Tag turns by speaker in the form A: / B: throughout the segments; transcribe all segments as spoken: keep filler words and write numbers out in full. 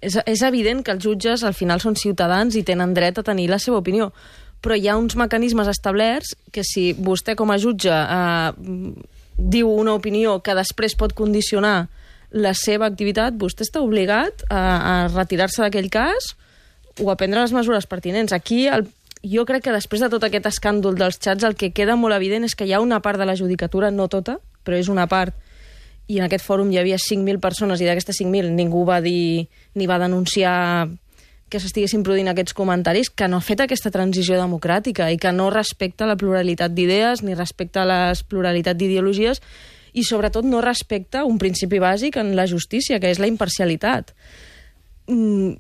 A: és, és evident que els jutges al final són ciutadans i tenen dret a tenir la seva opinió, però hi ha uns mecanismes establerts que si vostè com a jutge eh, diu una opinió que després pot condicionar la seva activitat, vostè està obligat a, a retirar-se d'aquell cas o a prendre les mesures pertinents. Aquí el, jo crec que després de tot aquest escàndol dels xats el que queda molt evident és que hi ha una part de la judicatura, no tota, però és una part, i en aquest fòrum hi havia cinc mil persones i d'aquestes cinc mil ningú va dir ni va denunciar que s'estiguessin produint aquests comentaris, que no ha fet aquesta transició democràtica i que no respecta la pluralitat d'idees ni respecta la pluralitat d'ideologies i sobretot no respecta un principi bàsic en la justícia, que és la imparcialitat. Mm,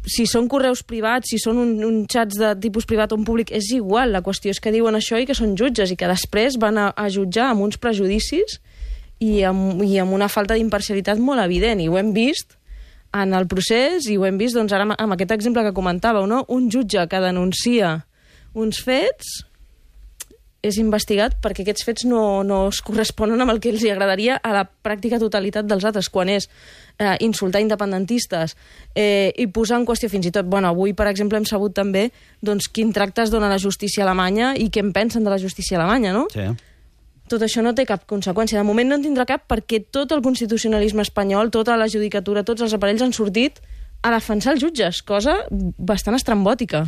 A: si són correus privats, si són un, un xats de tipus privat o un públic, és igual, la qüestió és que diuen això i que són jutges i que després van a, a jutjar amb uns prejudicis i amb, i amb una falta d'imparcialitat molt evident, i ho hem vist en el procés, i ho hem vist doncs, ara amb aquest exemple que comentàveu, no? Un jutge que denuncia uns fets és investigat perquè aquests fets no, no es corresponen amb el que els agradaria a la pràctica totalitat dels altres, quan és eh, insultar independentistes eh, i posar en qüestió fins i tot... Bueno, avui, per exemple, hem sabut també doncs, quin tracte es dona a la justícia alemanya i què en pensen de la justícia alemanya, no?
B: Sí.
A: Tot això no té cap conseqüència. De moment no en tindrà cap perquè tot el constitucionalisme espanyol, tota la judicatura, tots els aparells han sortit a defensar els jutges, cosa bastant estrambòtica.